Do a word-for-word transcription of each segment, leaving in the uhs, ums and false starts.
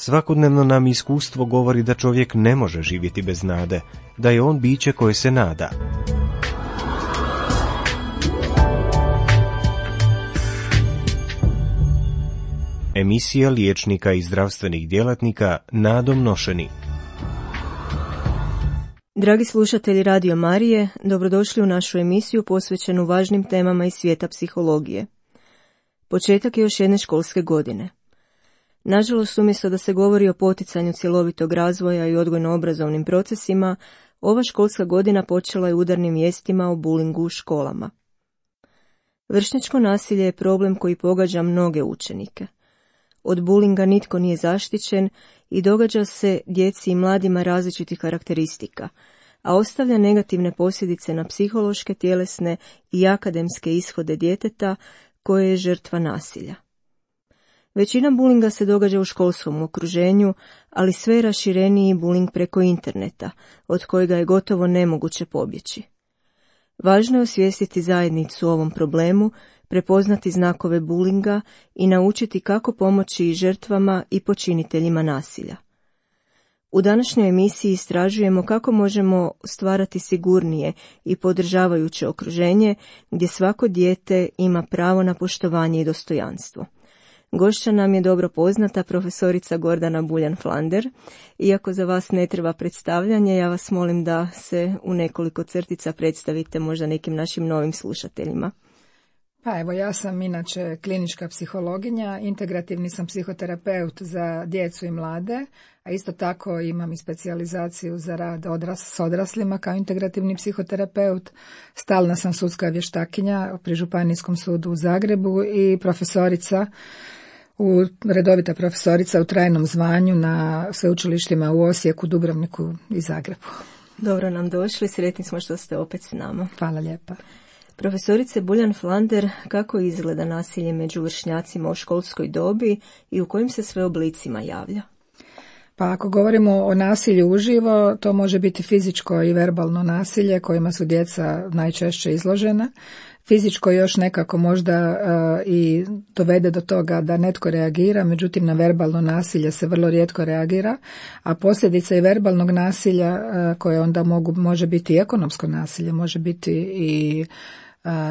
Svakodnevno nam iskustvo govori da čovjek ne može živjeti bez nade, da je on biće koje se nada. Emisija liječnika i zdravstvenih djelatnika nadom nošeni. Dragi slušatelji Radio Marije, dobrodošli u našu emisiju posvećenu važnim temama iz svijeta psihologije. Početak je još jedne školske godine. Nažalost, umjesto da se govori o poticanju cjelovitog razvoja i odgojno-obrazovnim procesima, ova školska godina počela je udarnim vijestima o bulingu u školama. Vršnjačko nasilje je problem koji pogađa mnoge učenike. Od bulinga nitko nije zaštićen i događa se djeci i mladima različitih karakteristika, a ostavlja negativne posljedice na psihološke, tjelesne i akademske ishode djeteta koje je žrtva nasilja. Većina bulinga se događa u školskom okruženju, ali sve je rašireniji buling preko interneta, od kojega je gotovo nemoguće pobjeći. Važno je osvijestiti zajednicu o ovom problemu, prepoznati znakove bulinga i naučiti kako pomoći i žrtvama i počiniteljima nasilja. U današnjoj emisiji istražujemo kako možemo stvarati sigurnije i podržavajuće okruženje gdje svako dijete ima pravo na poštovanje i dostojanstvo. Gošća nam je dobro poznata profesorica Gordana Buljan-Flander. Iako za vas ne treba predstavljanje, ja vas molim da se u nekoliko crtica predstavite možda nekim našim novim slušateljima. Pa evo, ja sam inače klinička psihologinja, integrativni sam psihoterapeut za djecu i mlade, a isto tako imam i specijalizaciju za rad odras, s odraslima kao integrativni psihoterapeut. Stalna sam sudska vještakinja pri Županijskom sudu u Zagrebu i profesorica, u, redovita profesorica u trajnom zvanju na sveučilištima u Osijeku, Dubrovniku i Zagrebu. Dobro nam došli, sretni smo što ste opet s nama. Hvala lijepa. Profesorice Buljan-Flander, kako izgleda nasilje među vršnjacima u školskoj dobi i u kojim se sve oblicima javlja? Pa ako govorimo o nasilju uživo, to može biti fizičko i verbalno nasilje kojima su djeca najčešće izložena. Fizičko još nekako možda uh, i dovede do toga da netko reagira, međutim na verbalno nasilje se vrlo rijetko reagira, a posljedica i verbalnog nasilja uh, koje onda mogu, može biti i ekonomsko nasilje, može biti i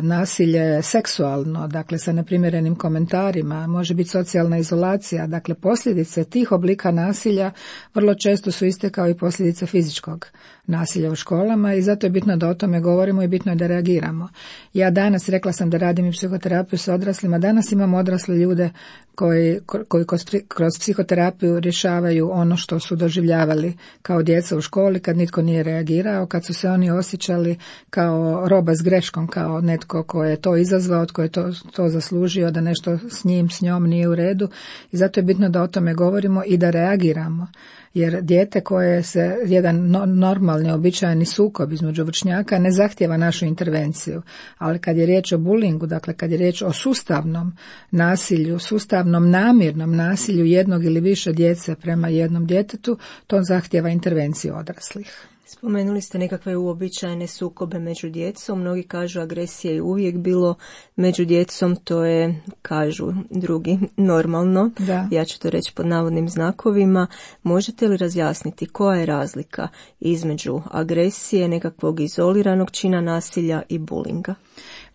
nasilje seksualno, dakle sa neprimjerenim komentarima, može biti socijalna izolacija, dakle posljedice tih oblika nasilja vrlo često su iste kao i posljedice fizičkog nasilja u školama i zato je bitno da o tome govorimo i bitno je da reagiramo. Ja danas, rekla sam da radim i psihoterapiju s odraslima, danas imam odrasle ljude koji, koji kroz psihoterapiju rješavaju ono što su doživljavali kao djeca u školi kad nitko nije reagirao, kad su se oni osjećali kao roba s greškom, kao netko ko je to izazvao, tko je to, to zaslužio, da nešto s njim, s njom nije u redu i zato je bitno da o tome govorimo i da reagiramo. Jer dijete koje se, jedan normalni, običajni sukob između vršnjaka ne zahtijeva našu intervenciju, ali kad je riječ o bulingu, dakle kad je riječ o sustavnom nasilju, sustavnom namjernom nasilju jednog ili više djece prema jednom djetetu, to zahtijeva intervenciju odraslih. Spomenuli ste nekakve uobičajene sukobe među djecom. Mnogi kažu agresija je uvijek bilo među djecom, to je, kažu drugi, normalno. Da. Ja ću to reći pod navodnim znakovima. Možete li razjasniti koja je razlika između agresije, nekakvog izoliranog čina nasilja i bulinga?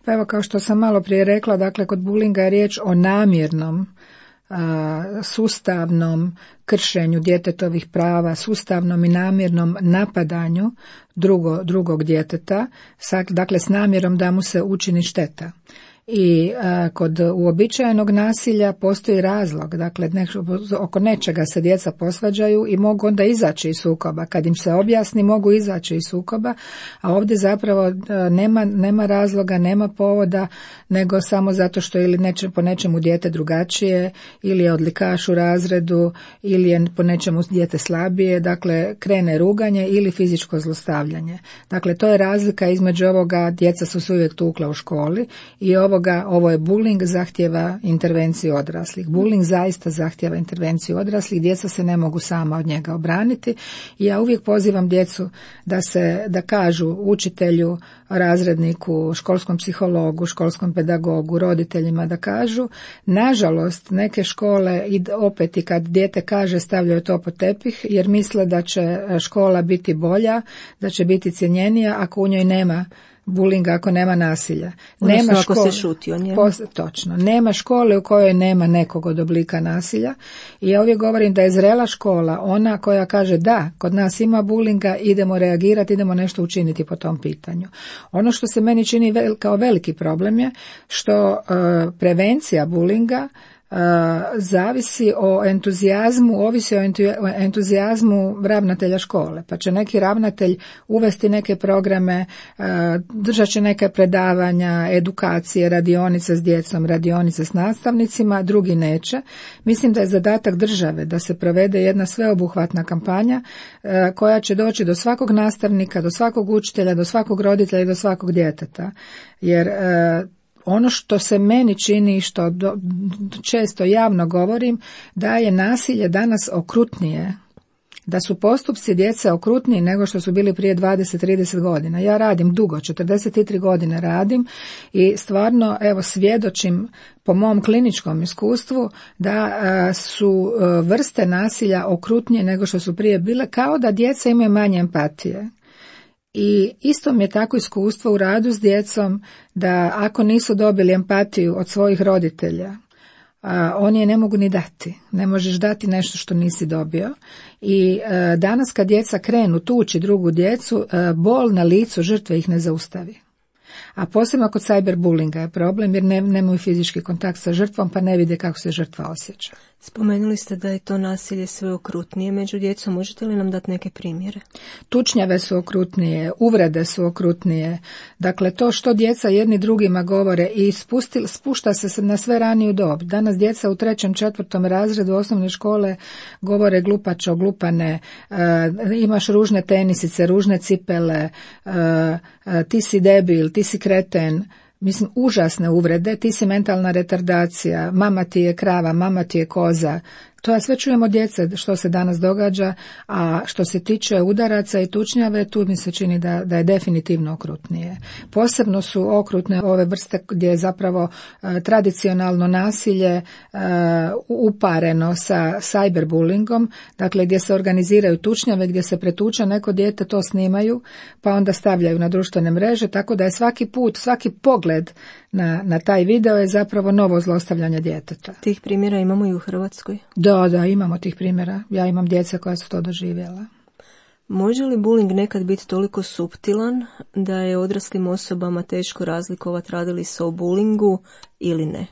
Pa evo, kao što sam malo prije rekla, dakle kod bulinga je riječ o namjernom, sustavnom kršenju djetetovih prava, sustavnom i namjernom napadanju drugo, drugog djeteta, dakle s namjerom da mu se učini šteta. I a, kod uobičajenog nasilja postoji razlog, dakle ne, oko nečega se djeca posvađaju i mogu onda izaći iz sukoba. Kad im se objasni, mogu izaći iz sukoba, a ovdje zapravo a, nema, nema razloga, nema povoda, nego samo zato što ili neče, po nečemu dijete drugačije, ili je odlikaš u razredu, ili je po nečemu dijete slabije, dakle krene ruganje ili fizičko zlostavljanje. Dakle, to je razlika između ovoga, djeca su se uvijek tukla u školi, i ovo ovoga, ovo je bullying, zahtjeva intervenciju odraslih. Bullying zaista zahtjeva intervenciju odraslih, djeca se ne mogu sama od njega obraniti i ja uvijek pozivam djecu da se, da kažu učitelju, razredniku, školskom psihologu, školskom pedagogu, roditeljima da kažu. Nažalost, neke škole i opet i kad dijete kaže stavljaju to pod tepih jer misle da će škola biti bolja, da će biti cjenjenija ako u njoj nema bulinga, ako nema nasilja. Odnosno, nema ako škole, se šuti o njemu. Pos, točno. Nema škole u kojoj nema nekog od oblika nasilja i ja uvijek govorim da je zrela škola ona koja kaže da, kod nas ima bulinga, idemo reagirati, idemo nešto učiniti po tom pitanju. Ono što se meni čini vel, kao veliki problem je što uh, prevencija bulinga Uh, zavisi o entuzijazmu, ovisi o entuzijazmu ravnatelja škole. Pa će neki ravnatelj uvesti neke programe, uh, držat će neke predavanja, edukacije, radionice s djecom, radionice s nastavnicima, drugi neće. Mislim da je zadatak države da se provede jedna sveobuhvatna kampanja uh, koja će doći do svakog nastavnika, do svakog učitelja, do svakog roditelja i do svakog djeteta. Jer uh, ono što se meni čini, što do, često javno govorim, da je nasilje danas okrutnije, da su postupci djece okrutniji nego što su bili prije dvadeset trideset godina. Ja radim dugo, četrdeset tri godine radim i stvarno evo svjedočim po mom kliničkom iskustvu da a, su a, vrste nasilja okrutnije nego što su prije bile, kao da djeca imaju manje empatije. I isto mi je tako iskustvo u radu s djecom da ako nisu dobili empatiju od svojih roditelja, a, oni je ne mogu ni dati. Ne možeš dati nešto što nisi dobio. I a, danas kad djeca krenu tući drugu djecu, a, bol na licu žrtve ih ne zaustavi. A posebno kod cyberbullinga je problem jer ne, nemaju fizički kontakt sa žrtvom pa ne vide kako se žrtva osjeća. Spomenuli ste da je to nasilje sve okrutnije među djecom. Možete li nam dati neke primjere? Tučnjave su okrutnije, uvrede su okrutnije. Dakle, to što djeca jedni drugima govore i spustil, spušta se na sve raniju dob. Danas djeca u trećem, četvrtom razredu osnovne škole govore glupačo, glupane, e, imaš ružne tenisice, ružne cipele, e, e, ti si debil, ti si kreten. Mislim, užasne uvrede, ti si mentalna retardacija, mama ti je krava, mama ti je koza. To ja sve čujem od djece što se danas događa, a što se tiče udaraca i tučnjave, tu mi se čini da, da je definitivno okrutnije. Posebno su okrutne ove vrste gdje je zapravo e, tradicionalno nasilje e, upareno sa cyberbullyingom, dakle gdje se organiziraju tučnjave, gdje se pretuče neko dijete, to snimaju, pa onda stavljaju na društvene mreže, tako da je svaki put, svaki pogled na, na taj video je zapravo novo zlostavljanje djeteta. Tih primjera imamo i u Hrvatskoj? Da, da, imamo tih primjera. Ja imam djece koja su to doživjela. Može li bullying nekad biti toliko suptilan da je odraslim osobama teško razlikovati radi li se o bullyingu ili ne?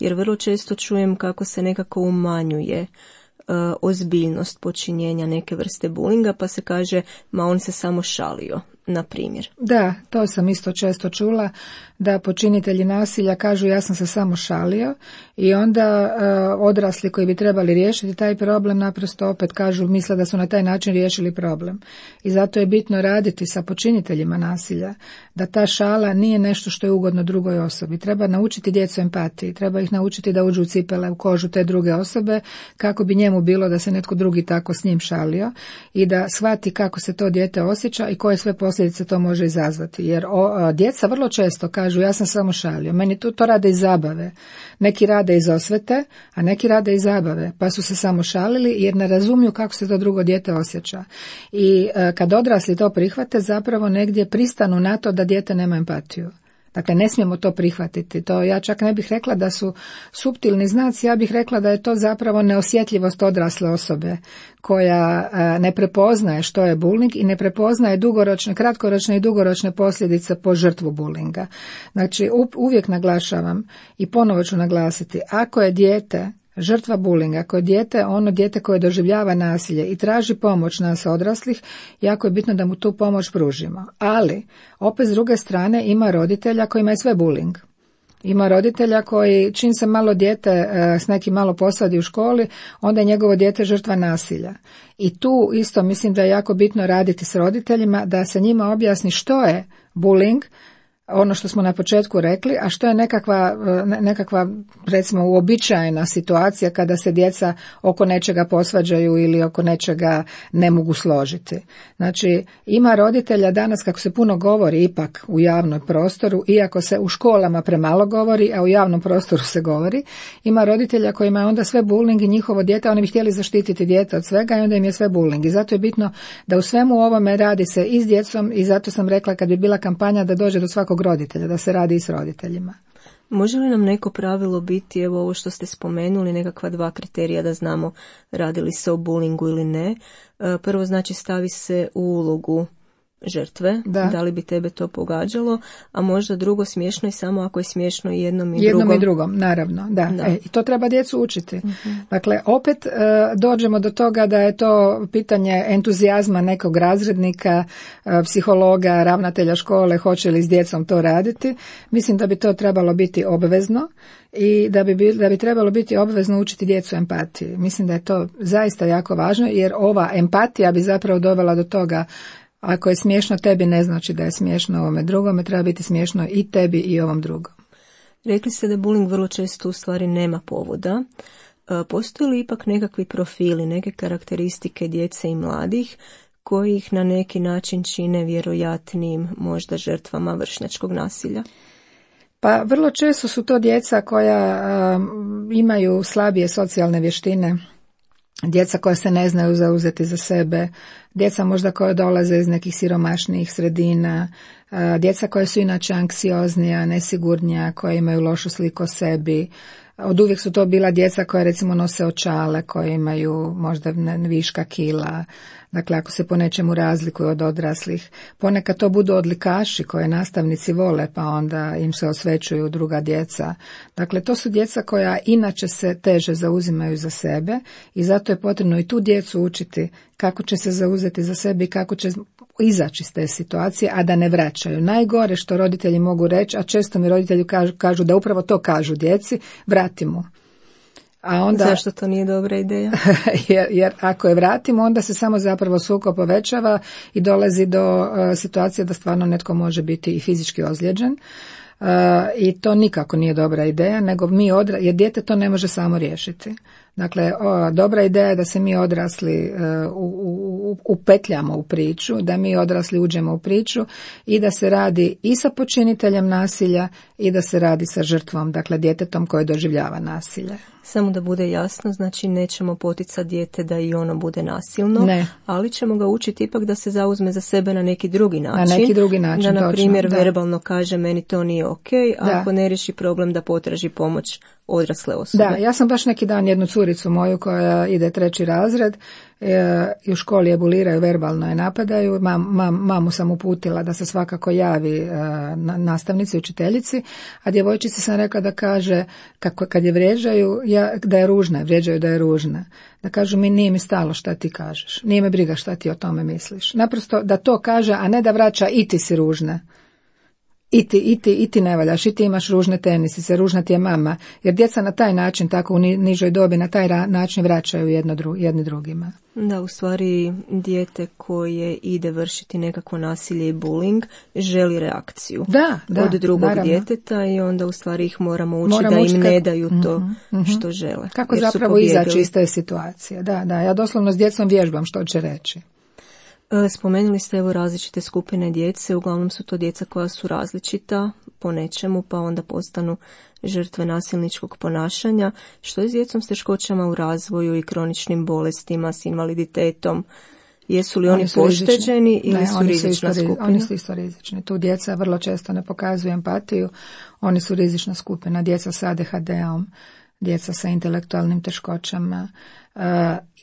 Jer vrlo često čujem kako se nekako umanjuje uh, ozbiljnost počinjenja neke vrste bullyinga, pa se kaže, ma on se samo šalio, na primjer. Da, to sam isto često čula, da počinitelji nasilja kažu ja sam se samo šalio i onda uh, odrasli koji bi trebali riješiti taj problem naprosto opet kažu, misle da su na taj način riješili problem. I zato je bitno raditi sa počiniteljima nasilja, da ta šala nije nešto što je ugodno drugoj osobi. Treba naučiti djecu empatiji, treba ih naučiti da uđu u cipele, u kožu te druge osobe, kako bi njemu bilo da se netko drugi tako s njim šalio i da shvati kako se to dijete osjeća i koje sve posljedice to može izazvati. Jer o, djeca vrlo često kažu ja sam samo šalio, meni to, to rade iz zabave. Neki rade iz osvete, a neki rade iz zabave, pa su se samo šalili jer ne razumiju kako se to drugo dijete osjeća. I e, kad odrasli to prihvate, zapravo negdje pristanu na to da dijete nema empatiju. Dakle, ne smijemo to prihvatiti. To ja čak ne bih rekla da su suptilni znaci, ja bih rekla da je to zapravo neosjetljivost odrasle osobe koja a, ne prepoznaje što je bullying i ne prepoznaje dugoročne, kratkoročne i dugoročne posljedice po žrtvu bullyinga. Znači, uvijek naglašavam i ponovo ću naglasiti, ako je dijete žrtva bullyinga, ako je dijete ono dijete koje doživljava nasilje i traži pomoć nas odraslih, jako je bitno da mu tu pomoć pružimo. Ali, opet s druge strane, ima roditelja kojima je sve bullying. Ima roditelja koji, čim se malo dijete e, s nekim malo posvadi u školi, onda je njegovo dijete žrtva nasilja. I tu isto mislim da je jako bitno raditi s roditeljima, da se njima objasni što je bullying, ono što smo na početku rekli, a što je nekakva, nekakva recimo uobičajena situacija kada se djeca oko nečega posvađaju ili oko nečega ne mogu složiti. Znači, ima roditelja danas, kako se puno govori ipak u javnom prostoru, iako se u školama premalo govori, a u javnom prostoru se govori, ima roditelja kojima je onda sve bullying i njihovo dijete, oni bi htjeli zaštititi dijete od svega i onda im je sve bullying. I zato je bitno da u svemu ovome radi se i s djecom i zato sam rekla kad bi bila kampanja da dođe do svakog roditelja, da se radi i s roditeljima. Može li nam neko pravilo biti, evo ovo što ste spomenuli, nekakva dva kriterija da znamo radi li se o bullyingu ili ne? Prvo znači stavi se u ulogu žrtve, da. da li bi tebe to pogađalo, a možda drugo smiješno i samo ako je smiješno i jednom i jednom drugom. Jednom i drugom, naravno, da. da. E, i to treba djecu učiti. Uh-huh. Dakle, opet e, dođemo do toga da je to pitanje entuzijazma nekog razrednika, e, psihologa, ravnatelja škole, hoće li s djecom to raditi. Mislim da bi to trebalo biti obvezno i da bi, da bi trebalo biti obvezno učiti djecu empatiji. Mislim da je to zaista jako važno, jer ova empatija bi zapravo dovela do toga. Ako je smiješno tebi, ne znači da je smiješno ovome drugome, treba biti smiješno i tebi i ovom drugom. Rekli ste da bullying vrlo često u stvari nema povoda. Postoje li ipak nekakvi profili, neke karakteristike djece i mladih koji ih na neki način čine vjerojatnijim možda žrtvama vršnjačkog nasilja? Pa vrlo često su to djeca koja um, imaju slabije socijalne vještine, djeca koja se ne znaju zauzeti za sebe, djeca možda koja dolaze iz nekih siromašnijih sredina, djeca koja su inače anksioznija, nesigurnija, koja imaju lošu sliku o sebi. Od uvijek su to bila djeca koja recimo nose očale, koje imaju možda viška kila, dakle ako se po nečemu razlikuju od odraslih. Ponekad to budu odlikaši koje nastavnici vole, pa onda im se osvećuju druga djeca. Dakle, to su djeca koja inače se teže zauzimaju za sebe i zato je potrebno i tu djecu učiti kako će se zauzeti za sebe i kako će izaći iz te situacije, a da ne vraćaju. Najgore što roditelji mogu reći, a često mi roditelji kažu, kažu da upravo to kažu djeci, vratimo. A onda, zašto to nije dobra ideja? jer, jer ako je vratimo, onda se samo zapravo sukob povećava i dolazi do uh, situacije da stvarno netko može biti i fizički ozlijeđen. Uh, I to nikako nije dobra ideja, nego mi odra- jer dijete to ne može samo riješiti. Dakle, o, dobra ideja je da se mi odrasli uh, u, u, upetljamo u priču, da mi odrasli uđemo u priču i da se radi i sa počiniteljem nasilja i da se radi sa žrtvom, dakle djetetom koje doživljava nasilje. Samo da bude jasno, znači nećemo poticati dijete da i ono bude nasilno, ne. ali ćemo ga učiti ipak da se zauzme za sebe na neki drugi način. Na neki drugi način, da, na primjer, točno, verbalno kaže meni to nije ok, a ako ne riješi problem da potraži pomoć odrasle osobe. Da, ja sam baš neki dan jednu curicu moju koja ide treći razred e, i u školi je buliraju, verbalno je napadaju. Mam, mam, mamu sam uputila da se svakako javi e, na, nastavnici, učiteljici, a djevojčici sam rekla da kaže kako kad je vrijeđaju ja, da je ružna, vrijeđaju da je ružna. Da kažu mi nije mi stalo šta ti kažeš, nije me briga šta ti o tome misliš. Naprosto da to kaže, a ne da vraća i ti si ružna. I ti, i ti, i ti ne valjaš, i ti imaš ružne tenisice, ružna ti je mama, jer djeca na taj način, tako u nižoj dobi, na taj ra- način vraćaju jedno dru- jedni drugima. Da, u stvari dijete koje ide vršiti nekako nasilje i bullying želi reakciju da, da, od drugog naravno. djeteta i onda u stvari ih moramo učiti moramo da im učiti ne kako... daju to mm-hmm. što žele. Kako zapravo izaći iz te situacije. Da, da, ja doslovno s djecom vježbam što će reći. Spomenuli ste evo različite skupine djece, uglavnom su to djeca koja su različita po nečemu, pa onda postanu žrtve nasilničkog ponašanja. Što je s djecom s teškoćama u razvoju i kroničnim bolestima, s invaliditetom? Jesu li oni, oni pošteđeni rizični? ili ne, su oni rizična su isto, skupina? Oni su isto rizični. Tu djeca vrlo često ne pokazuju empatiju, oni su rizična skupina. Djeca sa A D H D-om, djeca sa intelektualnim teškoćama, uh,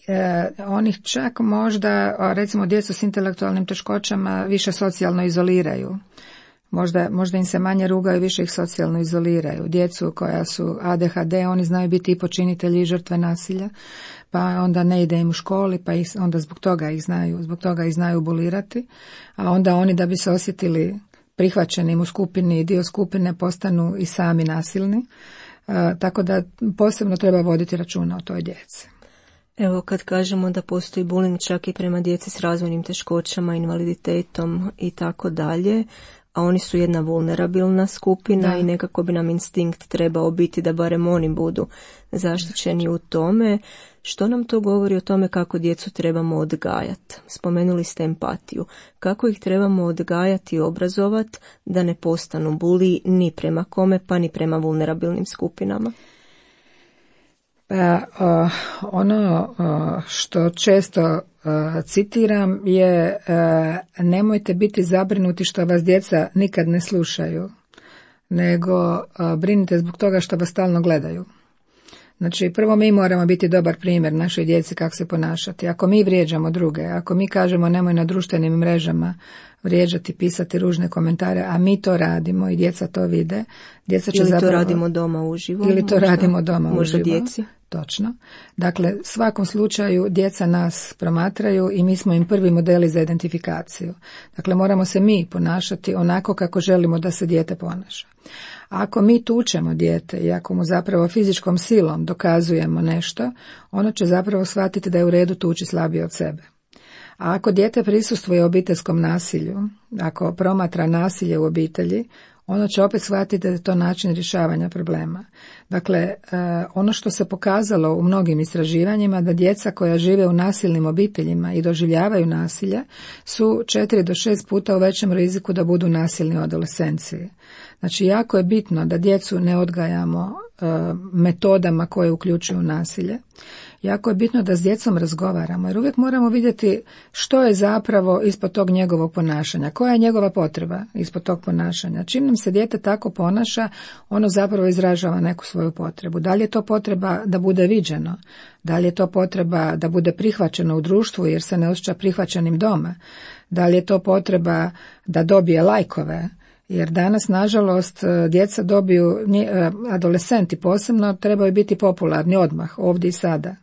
E, onih čak možda, recimo djecu s intelektualnim teškoćama više socijalno izoliraju. Možda, možda im se manje rugaju, više ih socijalno izoliraju. Djecu koja su A D H D, oni znaju biti i počinitelji i žrtve nasilja, pa onda ne ide im u školi, pa ih, onda zbog toga ih znaju, zbog toga ih znaju bulirati, a onda oni da bi se osjetili prihvaćenim u skupini i dio skupine postanu i sami nasilni. E, tako da posebno treba voditi računa o toj djeci. Evo kad kažemo da postoji bullying čak i prema djeci s razvojnim teškoćama, invaliditetom i tako dalje, a oni su jedna vulnerabilna skupina da. I nekako bi nam instinkt trebao biti da barem oni budu zaštićeni u tome. Što nam to govori o tome kako djecu trebamo odgajati? Spomenuli ste empatiju. Kako ih trebamo odgajati i obrazovati da ne postanu buliji ni prema kome, pa ni prema vulnerabilnim skupinama? Pa, uh, ono uh, što često uh, citiram je uh, nemojte biti zabrinuti što vas djeca nikad ne slušaju, nego uh, brinite zbog toga što vas stalno gledaju. Znači, prvo mi moramo biti dobar primjer našoj djeci kako se ponašati. Ako mi vrijeđamo druge, ako mi kažemo nemoj na društvenim mrežama vrijeđati, pisati ružne komentare, a mi to radimo i djeca to vide, djeca će ili zapravo... to radimo doma uživo. Ili to možda, radimo doma možda uživo. Djeci. Točno. Dakle, u svakom slučaju djeca nas promatraju i mi smo im prvi modeli za identifikaciju. Dakle, moramo se mi ponašati onako kako želimo da se dijete ponaša. Ako mi tučemo dijete i ako mu zapravo fizičkom silom dokazujemo nešto, ono će zapravo shvatiti da je u redu tući slabije od sebe. A ako dijete prisustvuje obiteljskom nasilju, ako promatra nasilje u obitelji, ono će opet shvatiti da je to način rješavanja problema. Dakle, ono što se pokazalo u mnogim istraživanjima, da djeca koja žive u nasilnim obiteljima i doživljavaju nasilje su četiri do šest puta u većem riziku da budu nasilni u adolescenciji. Znači, jako je bitno da djecu ne odgajamo metodama koje uključuju nasilje. Jako je bitno da s djecom razgovaramo, jer uvijek moramo vidjeti što je zapravo ispod tog njegovog ponašanja, koja je njegova potreba ispod tog ponašanja. Čim nam se dijete tako ponaša, ono zapravo izražava neku svoju potrebu. Da li je to potreba da bude viđeno? Da li je to potreba da bude prihvaćeno u društvu jer se ne osjeća prihvaćenim doma? Da li je to potreba da dobije lajkove? Jer danas, nažalost, djeca dobiju, adolescenti posebno, trebaju biti popularni odmah, ovdje i sada.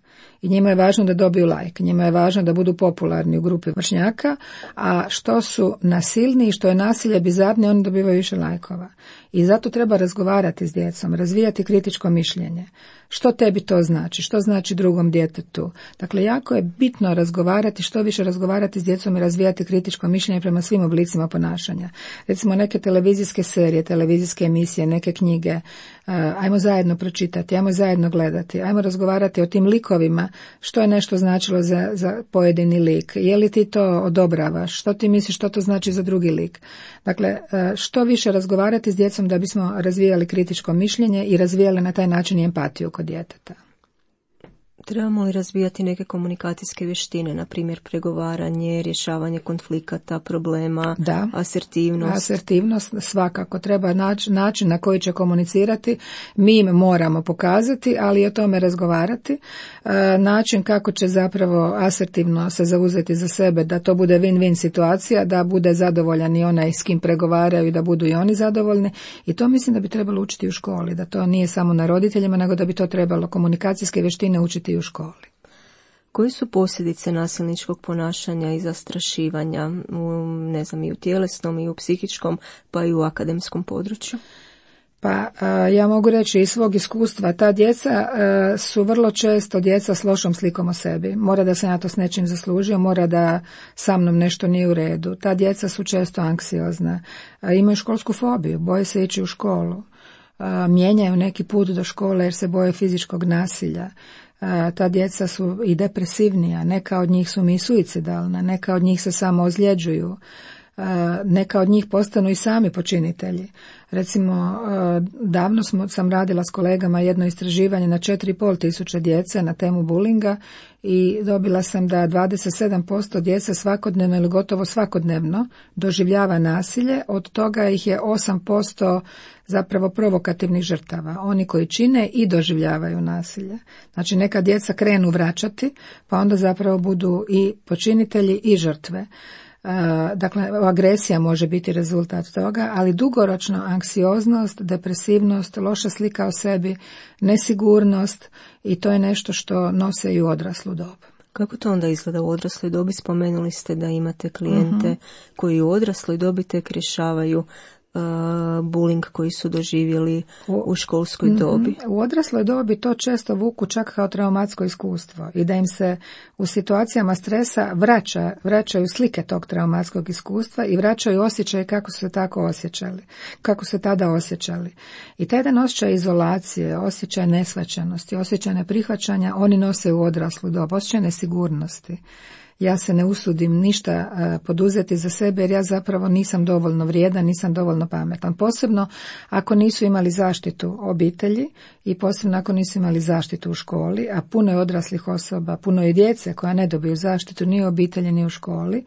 I njima je važno da dobiju like, njima je važno da budu popularni u grupi vršnjaka, a što su nasilni i što je nasilje bizarnije, oni dobivaju više lajkova. I zato treba razgovarati s djecom, razvijati kritičko mišljenje. Što tebi to znači? Što znači drugom djetetu? Dakle, jako je bitno razgovarati, što više razgovarati s djecom i razvijati kritičko mišljenje prema svim oblicima ponašanja. Recimo neke televizijske serije, televizijske emisije, neke knjige, uh, ajmo zajedno pročitati, ajmo zajedno gledati, ajmo razgovarati o tim likovima, što je nešto značilo za, za pojedini lik, je li ti to odobravaš, što ti misliš što to znači za drugi lik. Dakle, uh, što više razgovarati s djecom da bismo razvijali kritičko mišljenje i razvijali na taj način i empatiju kod djeteta. Trebamo li razvijati neke komunikacijske vještine, na primjer pregovaranje, rješavanje konflikata, problema, da, asertivnost? Asertivnost svakako treba naći način na koji će komunicirati. Mi im moramo pokazati, ali i o tome razgovarati. E, način kako će zapravo asertivno se zauzeti za sebe, da to bude win-win situacija, da bude zadovoljan i onaj s kim pregovaraju i da budu i oni zadovoljni. I to mislim da bi trebalo učiti u školi, da to nije samo na roditeljima, nego da bi to trebalo komunikacijske vještine učiti i u školi. Koje su posljedice nasilničkog ponašanja i zastrašivanja, u, ne znam, i u tjelesnom i u psihičkom, pa i u akademskom području? Pa ja mogu reći iz svog iskustva, ta djeca su vrlo često djeca s lošom slikom o sebi. Mora da se na to s nečim zaslužio, mora da sa mnom nešto nije u redu. Ta djeca su često anksiozna, imaju školsku fobiju, boje se ići u školu, mijenjaju neki put do škole jer se boje fizičkog nasilja. Ta djeca su i depresivnija, neka od njih su mi suicidalna, neka od njih se samo ozljeđuju, neka od njih postanu i sami počinitelji. Recimo, davno smo, sam radila s kolegama jedno istraživanje na četiri i pol tisuće djece na temu bulinga i dobila sam da dvadeset sedam posto djece svakodnevno ili gotovo svakodnevno doživljava nasilje, od toga ih je osam posto zapravo provokativnih žrtava, oni koji čine i doživljavaju nasilje. Znači, neka djeca krenu vraćati, pa onda zapravo budu i počinitelji i žrtve. Dakle, agresija može biti rezultat toga, ali dugoročno anksioznost, depresivnost, loša slika o sebi, nesigurnost i to je nešto što nose i u odraslu dob. Kako to onda izgleda u odrasloj dobi? Spomenuli ste da imate klijente uh-huh. koji u odrasloj dobi tek rješavaju uh, bullying koji su doživjeli u, u školskoj dobi? U odrasloj dobi to često vuku čak kao traumatsko iskustvo i da im se u situacijama stresa vraća, vraćaju slike tog traumatskog iskustva i vraćaju osjećaje kako su se tako osjećali, kako se tada osjećali. I taj jedan osjećaj izolacije, osjećaj neshvaćenosti, osjećaj neprihvaćanja, oni nose u odraslu dobu, osjećaj nesigurnosti. Ja se ne usudim ništa uh, poduzeti za sebe jer ja zapravo nisam dovoljno vrijedan, nisam dovoljno pametan. Posebno ako nisu imali zaštitu obitelji i posebno ako nisu imali zaštitu u školi, a puno je odraslih osoba, puno je djece koja ne dobiju zaštitu ni u obitelji ni u školi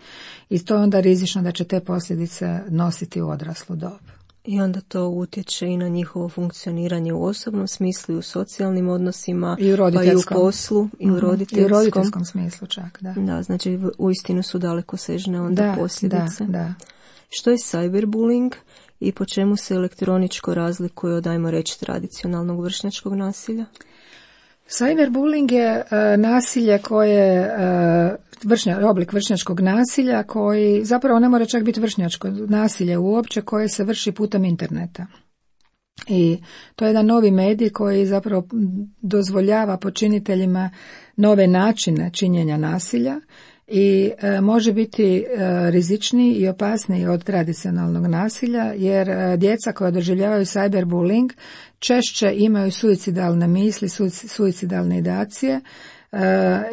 i to je onda rizično da će te posljedice nositi u odraslu dobu. I onda to utječe i na njihovo funkcioniranje u osobnom smislu, i u socijalnim odnosima, I u pa i u poslu, i u roditeljskom. I u roditeljskom smislu čak, da. Da, znači uistinu su dalekosežne onda da, posljedice. Da, da. Što je cyberbullying i po čemu se elektroničko razlikuje od, ajmo reći, tradicionalnog vršnjačkog nasilja? Cyberbullying je uh, nasilje koje, uh, vršnja, oblik vršnjačkog nasilja koji zapravo ne mora čak biti vršnjačko nasilje uopće koje se vrši putem interneta. I to je jedan novi medij koji zapravo dozvoljava počiniteljima nove načine činjenja nasilja i e, može biti e, rizičniji i opasniji od tradicionalnog nasilja jer e, djeca koja doživljavaju cyberbullying češće imaju suicidalne misli, suicidalne ideacije e,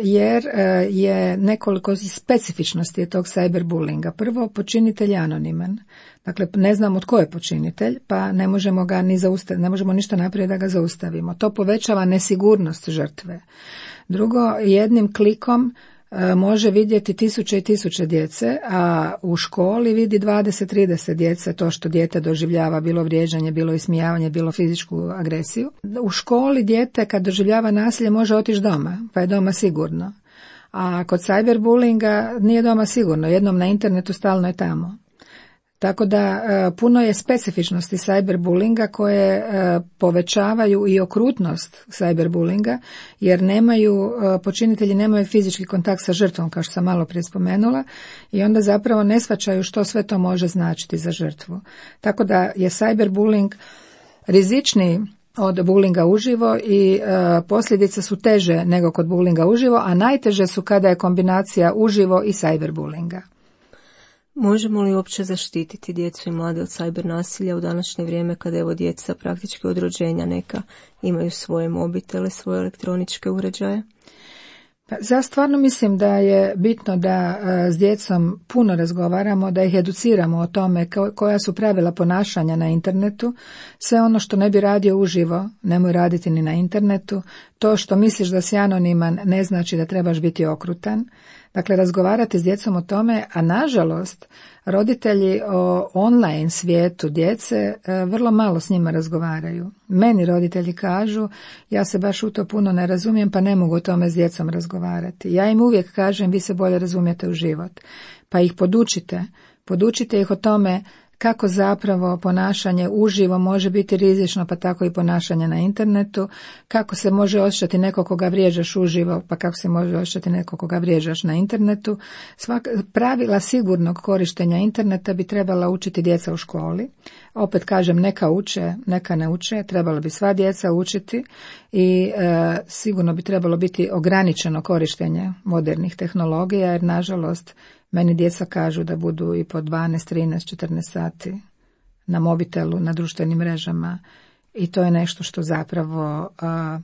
jer e, je nekoliko specifičnosti tog cyberbullyinga. Prvo, počinitelj je anoniman. Dakle, ne znamo tko je počinitelj, pa ne možemo ga ni zaustaviti, ne možemo ništa napraviti da ga zaustavimo. To povećava nesigurnost žrtve. Drugo, jednim klikom može vidjeti tisuće i tisuće djece, a u školi vidi dvadeset trideset djece to što dijete doživljava, bilo vrijeđanje, bilo ismijavanje, bilo fizičku agresiju. U školi dijete kad doživljava nasilje može otići doma, pa je doma sigurno. A kod cyberbullyinga nije doma sigurno, jednom na internetu stalno je tamo. Tako da puno je specifičnosti cyberbullyinga koje povećavaju i okrutnost cyberbullyinga jer nemaju, počinitelji nemaju fizički kontakt sa žrtvom kao što sam malo prije spomenula i onda zapravo ne shvaćaju što sve to može značiti za žrtvu. Tako da je cyberbullying rizičniji od bullyinga uživo i e, posljedice su teže nego kod bullyinga uživo, a najteže su kada je kombinacija uživo i cyberbullyinga. Možemo li uopće zaštititi djecu i mlade od cyber nasilja u današnje vrijeme kada evo djeca praktički od rođenja neka imaju svoje mobitele, svoje elektroničke uređaje? Pa, ja stvarno mislim da je bitno da s djecom puno razgovaramo, da ih educiramo o tome koja su pravila ponašanja na internetu. Sve ono što ne bi radio uživo, nemoj raditi ni na internetu. To što misliš da si anoniman ne znači da trebaš biti okrutan. Dakle, razgovarati s djecom o tome, a nažalost, roditelji o online svijetu djece vrlo malo s njima razgovaraju. Meni roditelji kažu, ja se baš u to puno ne razumijem, pa ne mogu o tome s djecom razgovarati. Ja im uvijek kažem, vi se bolje razumijete u život, pa ih podučite, podučite ih o tome kako zapravo ponašanje uživo može biti rizično, pa tako i ponašanje na internetu, kako se može osjećati neko koga vrijeđaš uživo, pa kako se može osjećati neko koga vrijeđaš na internetu. Svak, pravila sigurnog korištenja interneta bi trebala učiti djeca u školi. Opet kažem, neka uče, neka ne uče, trebalo bi sva djeca učiti i e, sigurno bi trebalo biti ograničeno korištenje modernih tehnologija, jer nažalost meni djeca kažu da budu i po dvanaest, trinaest, četrnaest sati na mobitelu, na društvenim mrežama i to je nešto što zapravo a,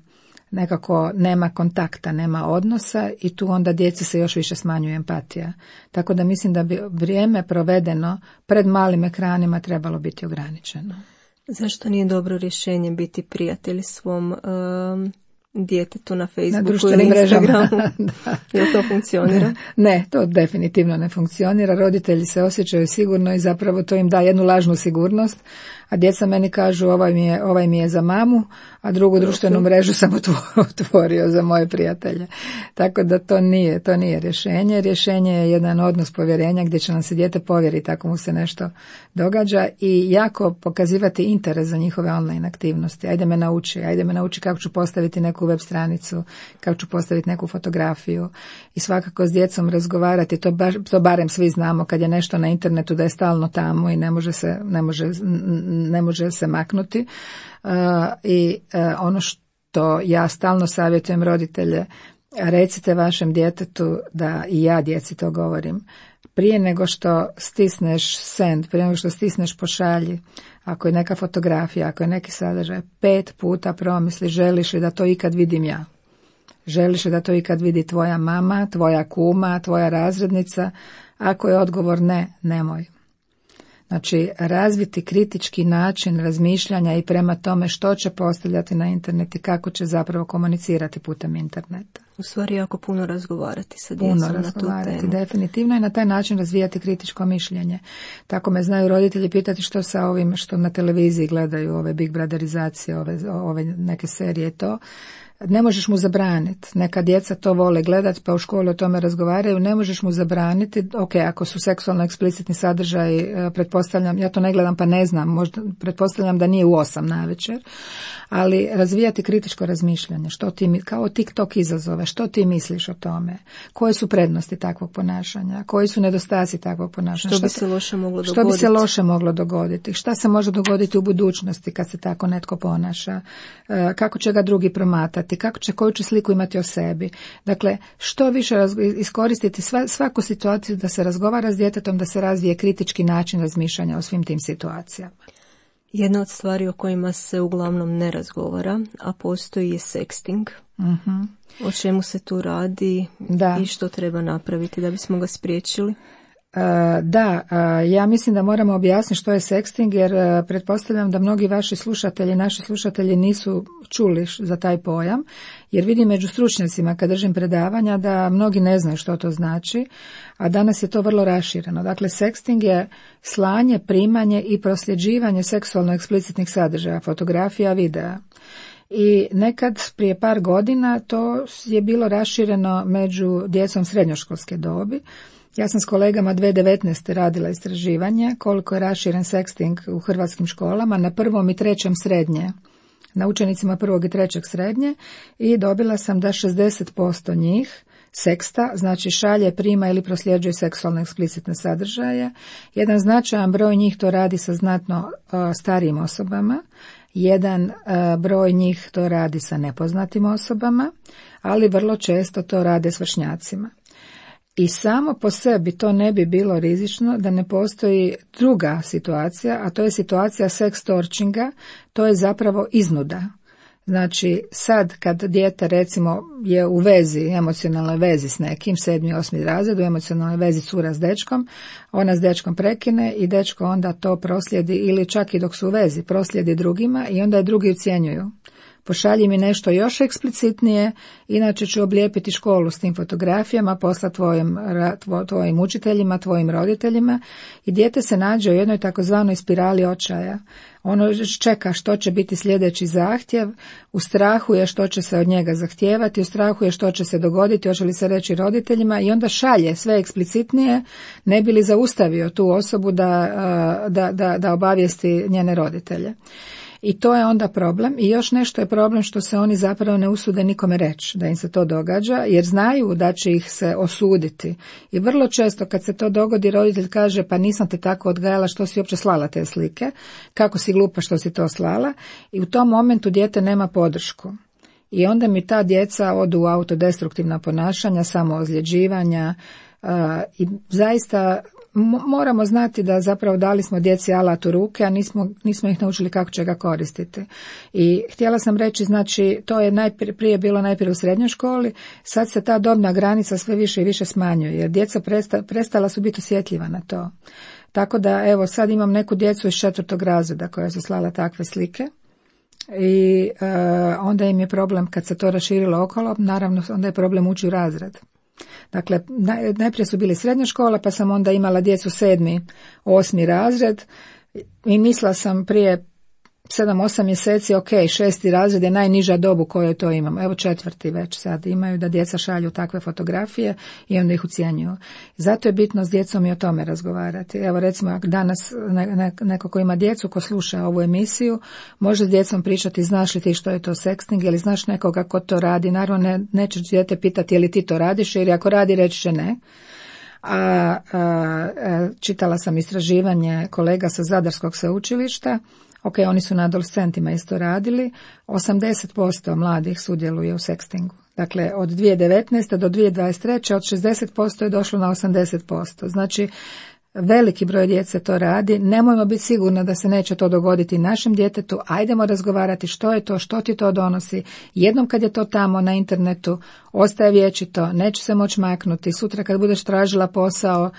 nekako nema kontakta, nema odnosa i tu onda djeci se još više smanjuje empatija. Tako da mislim da bi vrijeme provedeno pred malim ekranima trebalo biti ograničeno. Zašto nije dobro rješenje biti prijatelj svom um... djetetu na Facebooku na ili Instagramu? Jel to funkcionira? Ne, to definitivno ne funkcionira. Roditelji se osjećaju sigurno i zapravo to im da jednu lažnu sigurnost, a djeca meni kažu ovaj mi je, ovaj mi je za mamu, a drugu društvenu mrežu sam otvorio za moje prijatelje. Tako da to nije, to nije rješenje. Rješenje je jedan odnos povjerenja gdje će nam se dijete povjeriti ako mu se nešto događa i jako pokazivati interes za njihove online aktivnosti. Ajde me nauči, ajde me nauči kako ću postaviti neku web stranicu, kako ću postaviti neku fotografiju i svakako s djecom razgovarati, to, ba, to barem svi znamo kad je nešto na internetu da je stalno tamo i ne može se, ne može, ne može se maknuti. Uh, i uh, ono što ja stalno savjetujem roditelje, recite vašem djetetu, da i ja djeci to govorim, prije nego što stisneš send, prije nego što stisneš pošalji, ako je neka fotografija, ako je neki sadržaj, pet puta promisli želiš li da to ikad vidim ja. Želiš li da to ikad vidi tvoja mama, tvoja kuma, tvoja razrednica? Ako je odgovor ne, nemoj. Znači, razviti kritički način razmišljanja i prema tome što će postavljati na internet i kako će zapravo komunicirati putem interneta. U stvari jako puno razgovarati sa djecom puno na tu razgovarati, temu. Definitivno i na taj način razvijati kritičko mišljenje. Tako me znaju roditelji pitati što sa ovim što na televiziji gledaju, ove Big Brotherizacije, ove, ove neke serije, to. Ne možeš mu zabraniti. Neka djeca to vole gledati pa u školi o tome razgovaraju. Ne možeš mu zabraniti. Ok, ako su seksualno eksplicitni sadržaj, pretpostavljam, ja to ne gledam pa ne znam, možda pretpostavljam da nije u osam navečer, ali razvijati kritičko razmišljanje. Što ti, kao TikTok izazove, što ti misliš o tome? Koje su prednosti takvog ponašanja? Koji su nedostaci takvog ponašanja? Što bi se loše moglo dogoditi? Što bi se loše moglo dogoditi? Šta se može dogoditi u budućnosti kad se tako netko ponaša? Kako će ga drugi promatrati? Kako će, koju će sliku imati o sebi? Dakle, što više iskoristiti sva, svaku situaciju da se razgovara s djetetom, da se razvije kritički način razmišljanja o svim tim situacijama. Jedna od stvari o kojima se uglavnom ne razgovara, a postoji, je sexting. Uh-huh. O čemu se tu radi da. I što treba napraviti da bismo ga spriječili? Uh, da, uh, ja mislim da moramo objasniti što je sexting, jer uh, pretpostavljam da mnogi vaši slušatelji, naši slušatelji nisu čuli za taj pojam, jer vidim među stručnjacima kad držim predavanja da mnogi ne znaju što to znači, a danas je to vrlo rašireno. Dakle, sexting je slanje, primanje i prosljeđivanje seksualno eksplicitnih sadržaja, fotografija, videa. I nekad prije par godina to je bilo rašireno među djecom srednjoškolske dobi. Ja sam s kolegama dvije tisuće devetnaeste. radila istraživanje koliko je raširen sexting u hrvatskim školama na prvom i trećem srednje, na učenicima prvog i trećeg srednje, i dobila sam da šezdeset posto njih seksta, znači šalje, prima ili prosljeđuje seksualno eksplicitne sadržaje. Jedan značajan broj njih to radi sa znatno uh, starijim osobama, jedan uh, broj njih to radi sa nepoznatim osobama, ali vrlo često to rade s vršnjacima. I samo po sebi to ne bi bilo rizično da ne postoji druga situacija, a to je situacija sextorchinga, to je zapravo iznuda. Znači, sad kad dijete recimo je u vezi, emocionalnoj vezi s nekim, sedmi, osmi razred, u emocionalnoj vezi cura s dečkom, ona s dečkom prekine i dečko onda to proslijedi, ili čak i dok su u vezi, proslijedi drugima i onda je drugi ucjenjuju. Pošalji mi nešto još eksplicitnije, inače ću oblijepiti školu s tim fotografijama, poslati tvojim, tvojim učiteljima, tvojim roditeljima, i dijete se nađe u jednoj takozvanoj spirali očaja. Ono čeka što će biti sljedeći zahtjev, u strahu je što će se od njega zahtijevati, u strahu je što će se dogoditi, hoće li se reći roditeljima, i onda šalje sve eksplicitnije, ne bi li zaustavio tu osobu da, da, da, da obavijesti njene roditelje. I to je onda problem. I još nešto je problem što se oni zapravo ne usude nikome reći da im se to događa, jer znaju da će ih se osuditi. I vrlo često kad se to dogodi, roditelj kaže pa nisam te tako odgajala, što si uopće slala te slike, kako si glupa što si to slala, i u tom momentu dijete nema podršku. I onda mi ta djeca odu u autodestruktivna ponašanja, samoozljeđivanja, uh, i zaista moramo znati da zapravo dali smo djeci alat u ruke, a nismo, nismo ih naučili kako će ga koristiti. I htjela sam reći, znači, to je najprije bilo najprije u srednjoj školi, sad se ta dobna granica sve više i više smanjuje, jer djeca presta, prestala su biti osjetljiva na to. Tako da, evo, sad imam neku djecu iz četvrtog razreda koja su slala takve slike. I uh, onda im je problem kad se to raširilo okolo, naravno onda je problem ući u razred. Dakle, najprije su bili srednja škola, pa sam onda imala djecu sedmi, osmi razred, i mislila sam prije sedam osam mjeseci, ok, šesti razred je najniža dob u kojoj to imamo. Evo četvrti već sad imaju da djeca šalju takve fotografije i onda ih ucjenjuju. Zato je bitno s djecom i o tome razgovarati. Evo recimo danas neko ko ima djecu, ko sluša ovu emisiju, može s djecom pričati, znaš li ti što je to sexting ili znaš nekoga ko to radi. Naravno ne, neće dijete pitati je li ti to radiš, jer ako radi reći će ne. A, a, a čitala sam istraživanje kolega sa Zadarskog sveučilišta. Ok, oni su na adolescentima isto radili, osamdeset posto mladih sudjeluje u sextingu. Dakle, od dvije tisuće devetnaeste do dvije tisuće dvadeset treće od šezdeset posto je došlo na osamdeset posto. Znači, veliki broj djece to radi. Nemojmo biti sigurni da se neće to dogoditi našem djetetu. Ajdemo razgovarati što je to, što ti to donosi. Jednom kad je to tamo na internetu, ostaje vječito, neće se moći maknuti. Sutra kad budeš tražila posao,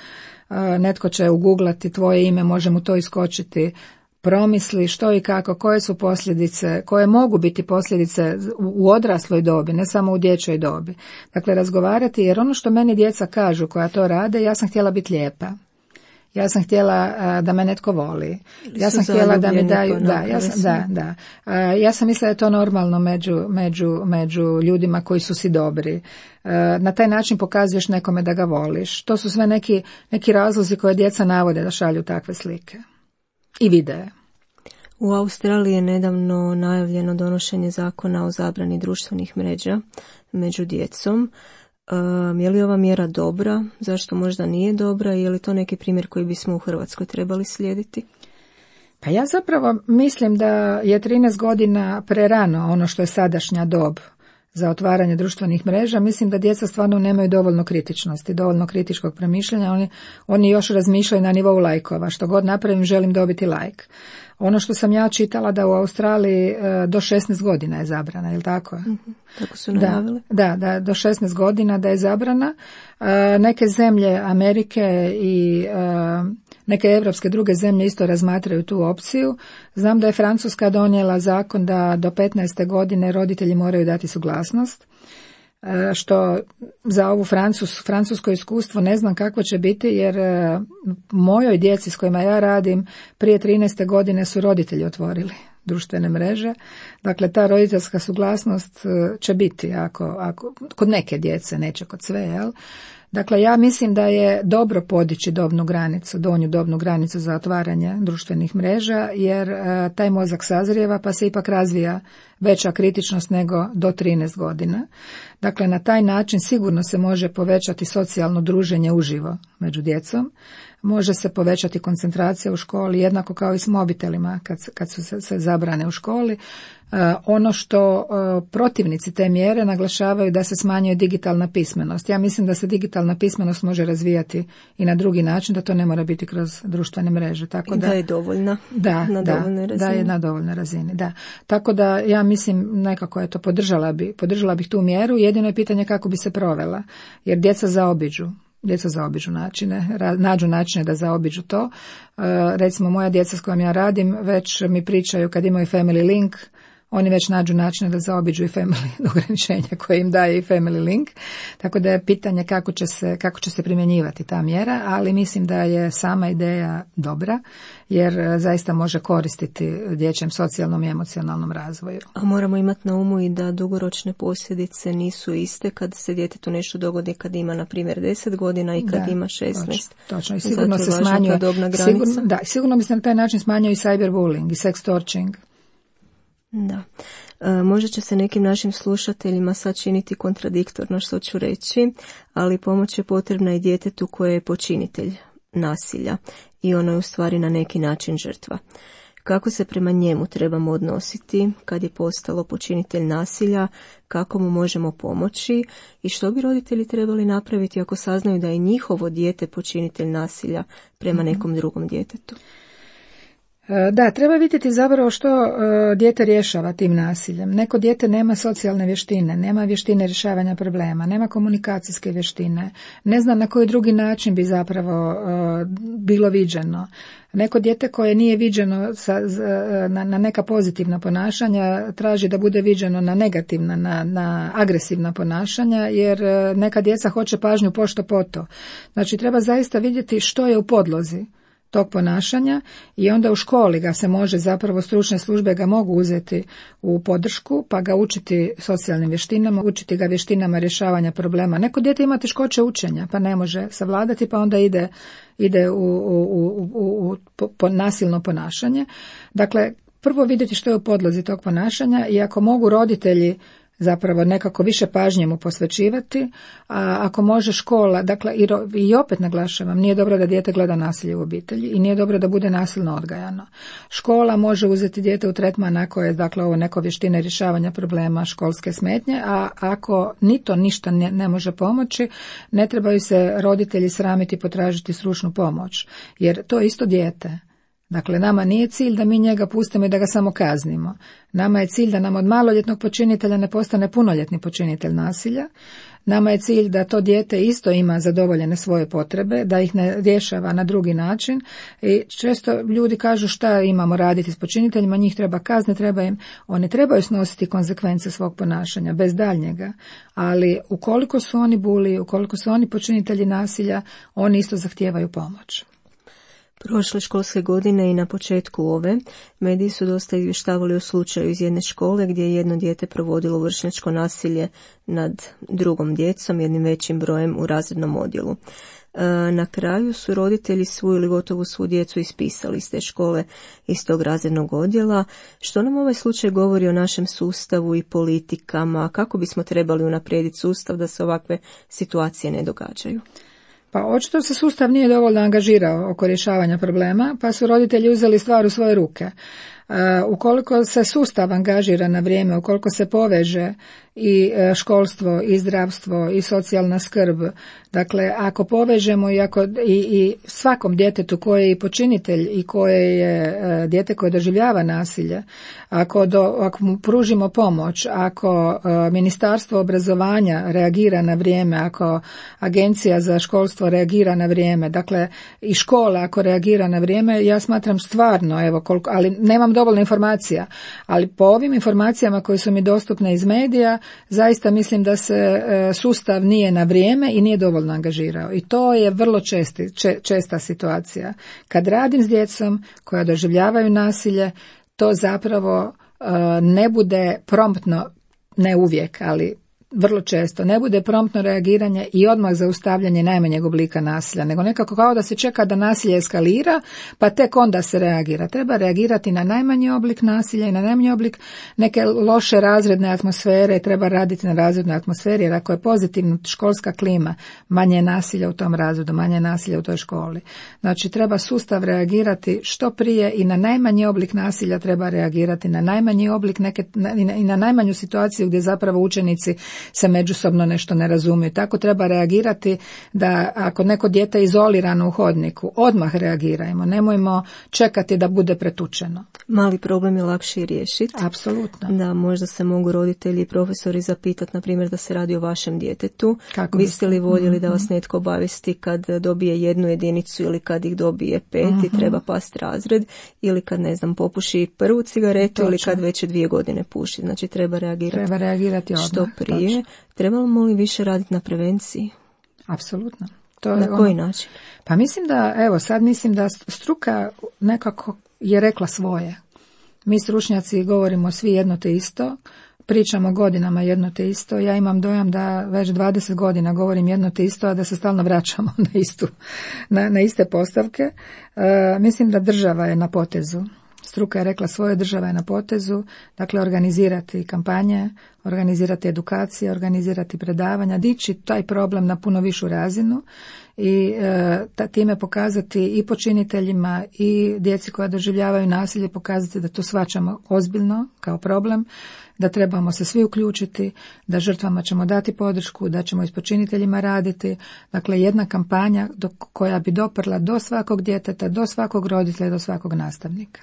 netko će uguglati tvoje ime, može mu to iskočiti. Promisli što i kako, koje su posljedice, koje mogu biti posljedice u odrasloj dobi, ne samo u dječjoj dobi. Dakle, razgovarati, jer ono što meni djeca kažu koja to rade, ja sam htjela biti lijepa. Ja sam htjela uh, da me netko voli. Ja sam htjela da mi daju, da, ja sam, da, da. Uh, ja sam mislila da je to normalno među, među, među ljudima koji su si dobri. Uh, na taj način pokazuješ nekome da ga voliš. To su sve neki, neki razlozi koje djeca navode da šalju takve slike. I videe. U Australiji je nedavno najavljeno donošenje zakona o zabrani društvenih mreža među djecom. Um, je li ova mjera dobra? Zašto možda nije dobra? Je li to neki primjer koji bismo u Hrvatskoj trebali slijediti? Pa ja zapravo mislim da je trinaest godina prerano ono što je sadašnja dob za otvaranje društvenih mreža. Mislim da djeca stvarno nemaju dovoljno kritičnosti, dovoljno kritičkog premišljanja. Oni, oni još razmišljaju na nivou lajkova. Što god napravim, želim dobiti lajk. Ono što sam ja čitala da u Australiji do šesnaest godina je zabrana, je li tako? Mm-hmm. Tako su najavili. Da, da, da, do šesnaest godina da je zabrana. Neke zemlje Amerike i neke evropske druge zemlje isto razmatraju tu opciju. Znam da je Francuska donijela zakon da do petnaeste godine roditelji moraju dati suglasnost, što za ovu Francus, francusko iskustvo ne znam kako će biti, jer mojoj djeci s kojima ja radim prije trinaeste godine su roditelji otvorili društvene mreže. Dakle, ta roditeljska suglasnost će biti ako, ako, kod neke djece, neće kod sve, jel? Dakle, ja mislim da je dobro podići dobnu granicu, donju dobnu granicu za otvaranje društvenih mreža, jer e, taj mozak sazrijeva pa se ipak razvija veća kritičnost nego do trinaest godina. Dakle, na taj način sigurno se može povećati socijalno druženje uživo među djecom, može se povećati koncentracija u školi, jednako kao i s mobitelima kad, kad su se, se zabrane u školi. Uh, ono što uh, protivnici te mjere naglašavaju da se smanjuje digitalna pismenost. Ja mislim da se digitalna pismenost može razvijati i na drugi način, da to ne mora biti kroz društvene mreže. Tako I da, da je dovoljna da, na da, dovoljnoj razini. Da je na dovoljnoj razini, da. Tako da ja mislim nekako je to podržala bi, podržala bih tu mjeru, jedino je pitanje kako bi se provela, jer djeca zaobiđu. Djeca zaobiđu načine, nađu načine da zaobiđu to. Uh, recimo moja djeca s kojom ja radim već mi pričaju kad imaju family link, oni već nađu načine da zaobiđu i family ograničenja koje im daje i family link. Tako da je pitanje kako će se, kako će se primjenjivati ta mjera, ali mislim da je sama ideja dobra, jer zaista može koristiti dječjem socijalnom i emocionalnom razvoju. A moramo imati na umu i da dugoročne posljedice nisu iste kad se djetetu nešto dogodi kad ima, na primjer, deset godina i kad da, ima šesnaest. Točno, točno. I sigurno se smanjuje, sigurno, da, sigurno bi se na taj način smanjio i cyberbullying i sextorching. Da. E, možda će se nekim našim slušateljima sad činiti kontradiktorno što ću reći, ali pomoć je potrebna i djetetu koje je počinitelj nasilja i ono je u stvari na neki način žrtva. Kako se prema njemu trebamo odnositi kad je postalo počinitelj nasilja, kako mu možemo pomoći i što bi roditelji trebali napraviti ako saznaju da je njihovo dijete počinitelj nasilja prema nekom drugom djetetu? Da, treba vidjeti zapravo što uh, dijete rješava tim nasiljem. Neko dijete nema socijalne vještine, nema vještine rješavanja problema, nema komunikacijske vještine, ne zna na koji drugi način bi zapravo uh, bilo viđeno. Neko dijete koje nije viđeno sa, na, na neka pozitivna ponašanja traži da bude viđeno na negativna, na, na agresivna ponašanja, jer neka djeca hoće pažnju pošto poto. Znači treba zaista vidjeti što je u podlozi tog ponašanja i onda u školi ga se može, zapravo stručne službe ga mogu uzeti u podršku pa ga učiti socijalnim vještinama, učiti ga vještinama rješavanja problema. Neko dijete ima teškoće učenja pa ne može savladati pa onda ide, ide u, u, u, u, u po, po nasilno ponašanje. Dakle, prvo vidjeti što je u podlozi tog ponašanja i ako mogu roditelji zapravo nekako više pažnje mu posvećivati, a ako može škola, dakle i, i opet naglašavam, nije dobro da dijete gleda nasilje u obitelji i nije dobro da bude nasilno odgajano. Škola može uzeti dijete u tretman ako je, dakle, ovo neko vještine rješavanja problema školske smetnje, a ako ni to ništa ne, ne može pomoći, ne trebaju se roditelji sramiti potražiti stručnu pomoć, jer to je isto dijete. Dakle, nama nije cilj da mi njega pustimo i da ga samo kaznimo. Nama je cilj da nam od maloljetnog počinitelja ne postane punoljetni počinitelj nasilja. Nama je cilj da to dijete isto ima zadovoljene svoje potrebe, da ih ne rješava na drugi način. I često ljudi kažu šta imamo raditi s počiniteljima, njih treba kazniti, treba im, oni trebaju snositi konsekvence svog ponašanja, bez daljnjega. Ali ukoliko su oni buli, ukoliko su oni počinitelji nasilja, oni isto zahtijevaju pomoć. Prošle školske godine i na početku ove, mediji su dosta izvještavali o slučaju iz jedne škole gdje je jedno dijete provodilo vršnjačko nasilje nad drugom djecom, jednim većim brojem u razrednom odjelu. Na kraju su roditelji svu ili gotovo svu djecu ispisali iz te škole, iz tog razrednog odjela. Što nam ovaj slučaj govori o našem sustavu i politikama? Kako bismo trebali unaprijediti sustav da se ovakve situacije ne događaju? Pa očito se sustav nije dovoljno angažirao oko rješavanja problema, pa su roditelji uzeli stvar u svoje ruke. Uh, ukoliko se sustav angažira na vrijeme, ukoliko se poveže i školstvo, i zdravstvo, i socijalna skrb, dakle ako povežemo i, ako, i, i svakom djetetu koje je i počinitelj i koje je uh, dijete koje doživljava nasilje, ako, do, ako mu pružimo pomoć, ako uh, Ministarstvo obrazovanja reagira na vrijeme, ako Agencija za školstvo reagira na vrijeme, dakle i škola ako reagira na vrijeme, ja smatram stvarno, evo koliko, ali nemam dovoljno informacija, ali po ovim informacijama koje su mi dostupne iz medija, zaista mislim da se e, sustav nije na vrijeme i nije dovoljno angažirao. I to je vrlo česti, če, česta situacija. Kad radim s djecom koja doživljavaju nasilje, to zapravo e, ne bude promptno, ne uvijek, ali vrlo često ne bude promptno reagiranje i odmah zaustavljanje najmanjeg oblika nasilja, nego nekako kao da se čeka da nasilje eskalira, pa tek onda se reagira. Treba reagirati na najmanji oblik nasilja i na najmanji oblik neke loše razredne atmosfere, treba raditi na razrednoj atmosferi, jer ako je pozitivna školska klima, manje je nasilja u tom razredu, manje je nasilja u toj školi. Znači treba sustav reagirati što prije i na najmanji oblik nasilja treba reagirati, na najmanji oblik neke, i na najmanju situaciju gdje zapravo učenici se međusobno nešto ne razumiju. Tako treba reagirati da ako neko dijete je izolirano u hodniku, odmah reagirajmo, nemojmo čekati da bude pretučeno. Mali problem je lakše riješiti. Apsolutno. Da, možda se mogu roditelji i profesori zapitati, na primjer, da se radi o vašem djetetu. Kako biste li voljeli mm-hmm. da vas netko obavijesti kad dobije jednu jedinicu ili kad ih dobije pet mm-hmm. i treba pasti razred, ili kad, ne znam, popuši prvu cigaretu Točno. Ili kad već dvije godine puši. Znači treba reagirati, treba reagirati odmah. Što prije. Točno. Trebamo li više raditi na prevenciji? Apsolutno. To na je koji ono. način? Pa mislim da, evo sad mislim da struka nekako je rekla svoje. Mi stručnjaci govorimo svi jedno te isto, pričamo godinama jedno te isto. Ja imam dojam da već dvadeset godina govorim jedno te isto, a da se stalno vraćamo na istu, na, na iste postavke. E, mislim da država je na potezu. Struka je rekla svoje, država je na potezu, dakle organizirati kampanje, organizirati edukacije, organizirati predavanja, dići taj problem na puno višu razinu i e, time pokazati i počiniteljima i djeci koja doživljavaju nasilje, pokazati da to shvaćamo ozbiljno kao problem, da trebamo se svi uključiti, da žrtvama ćemo dati podršku, da ćemo i s počiniteljima raditi. Dakle, jedna kampanja do, koja bi doprla do svakog djeteta, do svakog roditelja, do svakog nastavnika.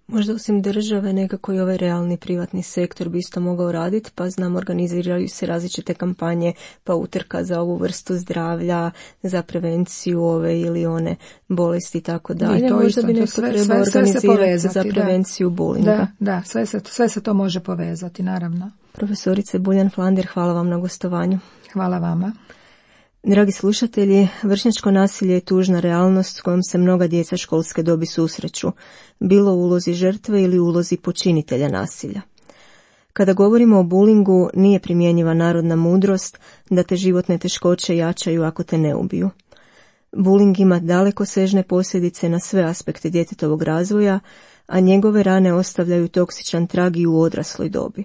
Možda osim države nekako i ovaj realni privatni sektor bi isto mogao raditi, pa znam, organiziraju se različite kampanje, pa utrka za ovu vrstu zdravlja, za prevenciju ove ili one bolesti i tako dalje. Možda isto, bi neko treba organizirati za prevenciju da. bulinga. Da, da, sve se, sve se to može povezati, naravno. Profesorice Buljan Flander, hvala vam na gostovanju. Hvala vama. Dragi slušatelji, vršnjačko nasilje je tužna realnost s kojom se mnoga djeca školske dobi susreću, bilo u ulozi žrtve ili u ulozi počinitelja nasilja. Kada govorimo o bulingu, nije primjenjiva narodna mudrost da te životne teškoće jačaju ako te ne ubiju. Buling ima dalekosežne posljedice na sve aspekte djetetovog razvoja, a njegove rane ostavljaju toksičan trag i u odrasloj dobi.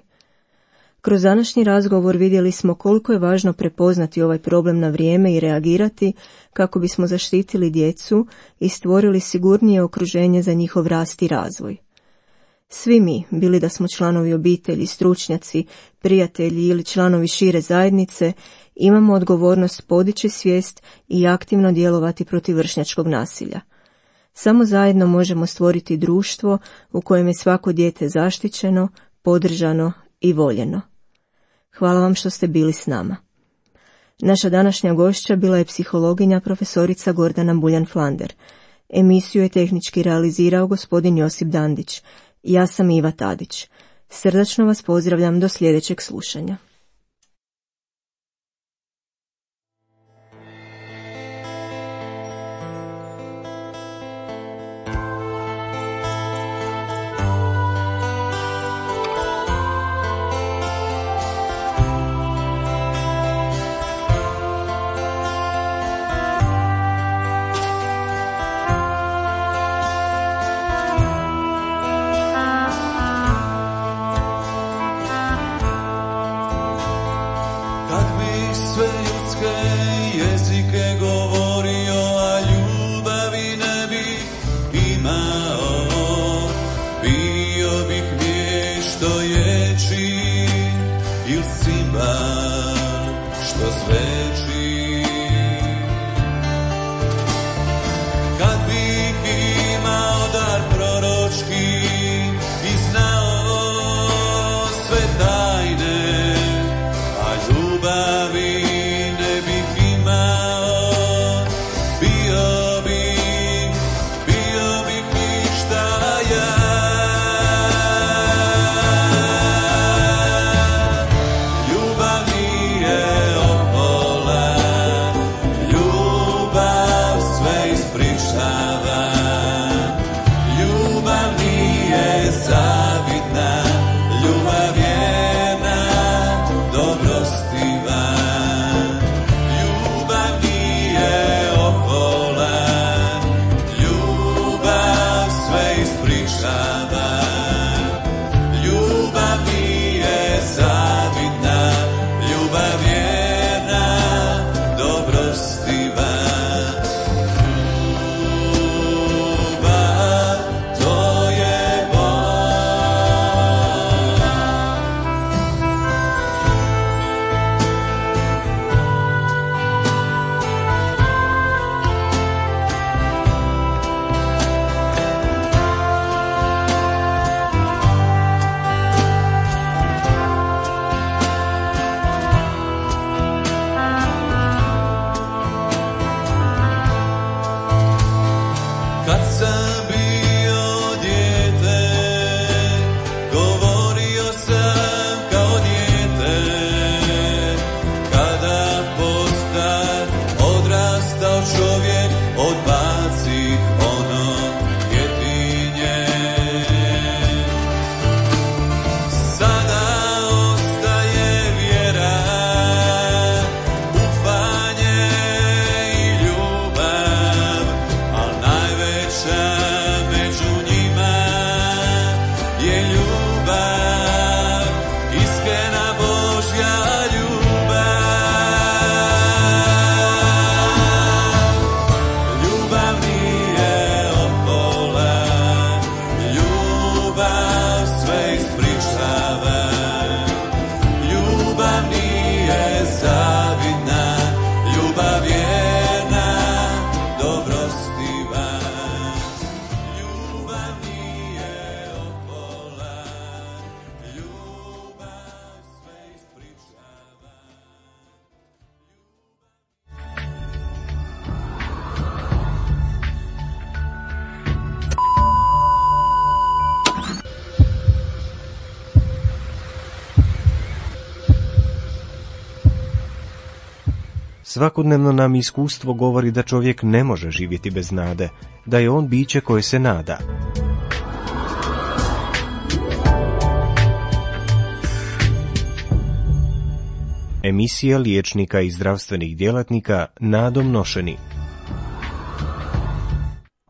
Kroz današnji razgovor vidjeli smo koliko je važno prepoznati ovaj problem na vrijeme i reagirati kako bismo zaštitili djecu i stvorili sigurnije okruženje za njihov rast i razvoj. Svi mi, bili da smo članovi obitelji, stručnjaci, prijatelji ili članovi šire zajednice, imamo odgovornost podići svijest i aktivno djelovati protiv vršnjačkog nasilja. Samo zajedno možemo stvoriti društvo u kojem je svako dijete zaštićeno, podržano i voljeno. Hvala vam što ste bili s nama. Naša današnja gošća bila je psihologinja profesorica Gordana Buljan-Flander. Emisiju je tehnički realizirao gospodin Josip Dandić. Ja sam Iva Tadić. Srdačno vas pozdravljam do sljedećeg slušanja. Najveća Svakodnevno nam iskustvo govori da čovjek ne može živjeti bez nade, da je on biće koje se nada. Emisija liječnika i zdravstvenih djelatnika nadom nošeni.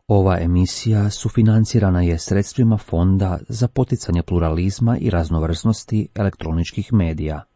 Ova emisija sufinancirana je sredstvima Fonda za poticanje pluralizma i raznovrsnosti elektroničkih medija.